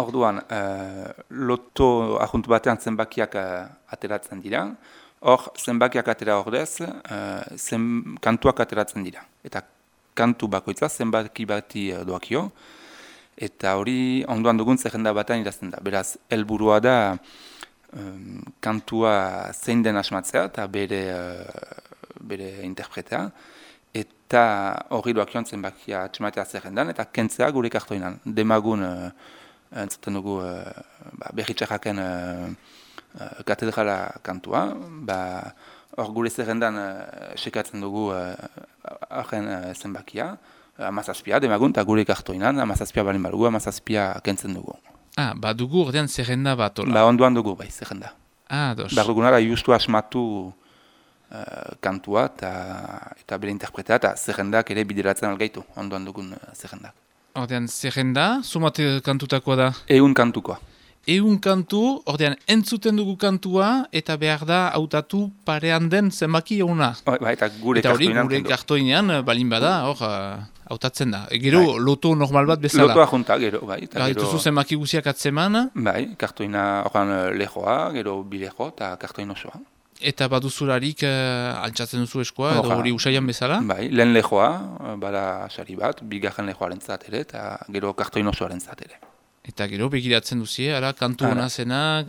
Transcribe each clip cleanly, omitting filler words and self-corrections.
Orduan, loto ahunt batean zenbakiak ateratzen dira. Hor, zenbakiak atera ordez, kantuak ateratzen dira. Eta kantu bakoitza zenbaki bati doakio. Eta hori ondoan dugun zerrenda batean idazten da. Beraz, helburua da kantua zein den asmatzea eta bere interpretea. Eta hori doakion zenbakia atxematea zerrendan eta kentzea gure kartoinan. Demagun entzuten dugu berritxarraken katedrala kantua. Hor gure zerrendan sekatzen dugu horren zenbakia. 17 demagun eta gure kartoinan 17 balin badugu, 17 kentzen dugu. Dugu ordean zerrenda bat, ola? Ondoan dugu, bai, zerrenda. Dos. Dugunara justu asmatu kantua eta bere interpretea eta zerrendak ere bideratzen algaitu, ondoan dugun zerrendak. Ordean zerrenda, sumate kantutakoa da? 100 kantukoa. 100 kantu, ordean entzuten dugu kantua eta behar da hautatu parean den zenbaki eguna. Eta gure kartoinean balin bada, hautatzen da. Gero loto normal bat bezala. Lotoa junta, gero, bai. Dituzu zenbaki guziak atzeman? Bai, kartoina lehoa, gero bileho eta kartoin osoa. Eta baduzularik altxatzen duzu eskoa, edo hori usaian bezala? Bai, lehen lehoa, bada sari bat, bigarren lehoaren ere, eta gero kartoin osoaren ere. Eta gero begiratzen duzie, kantu hona zenak...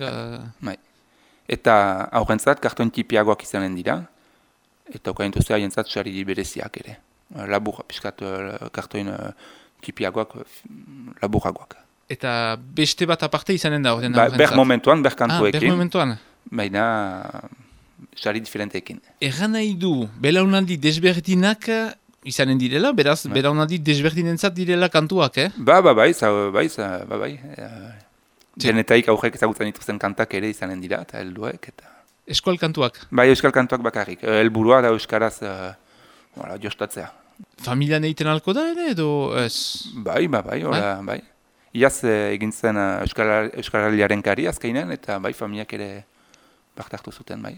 Bai. Eta aurrentzat kartoin tipiagoak izanen dira, eta okaintuzea jentzat sari bereziak ere. Labur, piskat kartoin tipiagoak, laburagoak. Eta beste bat aparte izanen da horren aurrentzat? Ber momentuan, ber kantuekin. Ber momentuan? Baina... sari diferenteekin. Erran nahi du, belaunaldi desberdinak izanen direla, beraz, belaunaldi desberdinentzat direla kantuak, Bai. Genetaik aurrek ezagutzen dituzten kantak ere izanen dira, eta helduek, eta... Eskual kantuak? Bai, euskal kantuak bakarrik. Helburua da euskaraz jostatzea. Familian egiten alko da ere, edo ez? Bai. Iaz egin zen euskaraliaren kari azkeinen, eta bai, familiak ere baktartu zuten, bai.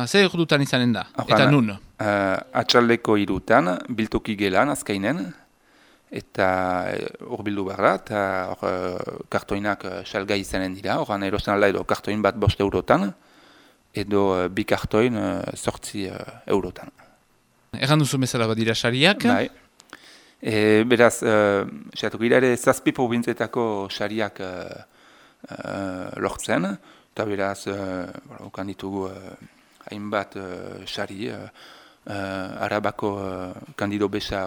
Zer dutan izanen da? Eta nun? Atxaldeko 3 biltoki gelan azkainen, eta hor bildu behar da, eta kartoinak salgai izanen dira, horan erosten alda edo kartoin bat 5 eurotan, edo bi kartoin 8 eurotan. Erran duzu bezala badira sariak? Bai. Beraz, xeatuko gira ere 7 probintzetako sariak lortzen, eta beraz, okan ditugu hainbat sari, Arabako kandido besa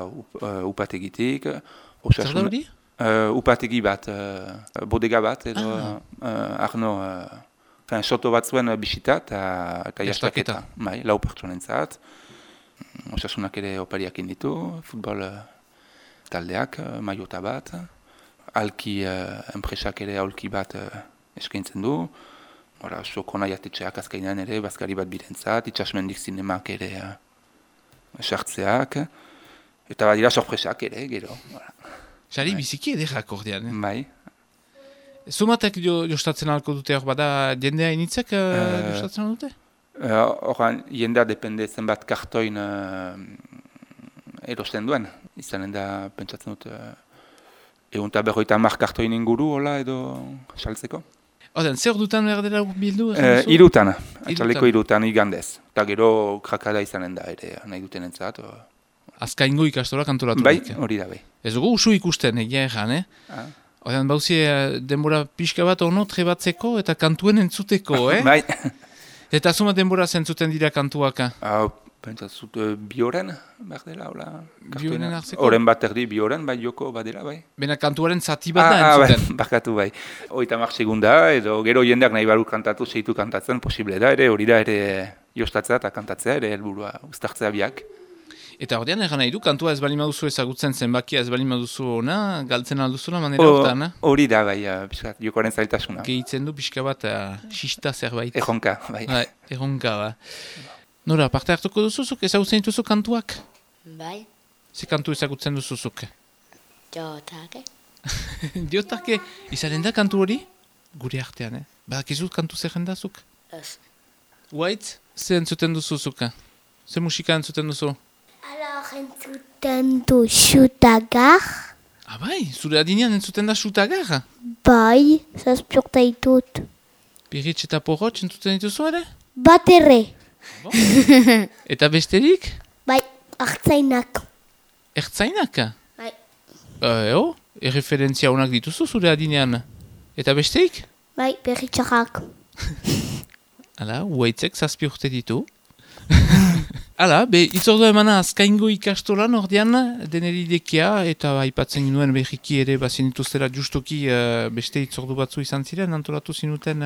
upategitik. Zer da hori? Upategi bat, bodega bat, edo Arno, soto bat zuen bisita eta jastaketa. Bai, 4 pertsonentzat. Osasunak ere opariak inditu, futbol taldeak, maiota bat. Alki enpresak ere aulki bat eskaintzen du. Soko nahi atetxeak azkainan ere, bazkari bat birentzat, itxasmendik zinemak ere sartzeak, eta badira sorpresak ere, gero. Sari biziki edekak ordean, Bai. Zumatek jostatzen alko dute hor bada jendea initzek jostatzen dute? Horan, jendea depende zenbat kartoin erosten duen. Izanen da, pentsatzen dut, 150 kartoin inguru, hola, edo saltzeko. Oden, zer dutan behar dela bildu? 3, atxaleko 3 igandez. Eta gero krakada izanen da ere, nahi duten entzat. Azkaingo ikastora kantolatu. Bai, hori da bai. Ez dugu usu ikusten, egia erran, Oden, bauzie denbora pixka bat ono trebatzeko eta kantuen entzuteko, Bai. Eta zuma denbora zentzuten dira kantuak? Pentsatzut bi horen, behar dela, hola. Bi horen hartzeko? Horen bat erdi, bi horen, bai joko badela, bai. Bena kantuaren zati bat da entzuten? Bai, bakatu bai. 30 segunda, edo gero jendeak nahi baru kantatu, seitu kantatzen, posible da, ere hori da, ere jostatzea eta kantatzea, ere helburua uztartzea biak. Eta ordean egan nahi du, kantua ez bali maduzu ezagutzen zenbakia ez bali maduzu ona, galtzen alduzula manera hortan? Hori da, bai, jokoaren zailtasuna. Gehitzen du pixka bat, xista zerbait. Erronka, bai. Erronka, ba. Nora, parte hartuko duzuzuk, ezagutzen dituzu kantuak? Bai. Ze kantu ezagutzen duzuzuk? Jotake. Jotake, izaren da kantu hori? Gure artean, Badakizut kantu zerrendazuk? Ez. White, ze entzuten duzuzuk? Ze musika entzuten duzu? Alors, entzuten du Xutagar. Bai, zure adinean entzuten da sutagar? Bai, 7 urte ditut. Pirritx eta porrotx entzuten dituzu ere? Bat erre. Eta besterik? Bai, hartzainak. Ertzainak? Bai. Erreferentzia honak dituzu zure adinean. Eta besteik? Bai, berritxarrak. Hala, huaitzek 7 urte ditu. Hala, itzordu emana azkaingo ikastolan ordean deneridekia eta aipatzen nuen berriki ere bazinituztera justoki beste itzordu batzu izan ziren, antolatu zinuten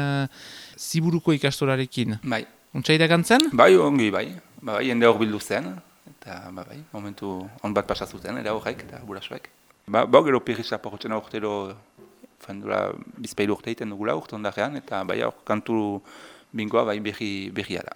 Ziburuko ikastolarekin. Bai. Untsa iragantzen? Bai, ongi bai. Bai, jende hor bildu zen. Eta bai, momentu on bat pasazuten, era horrek eta burasoek. Gero pirritxa porrotzen aurtero fendura bizpeilu urte egiten dugula urte ondarean, eta bai hor kantu bingoa bai berria da.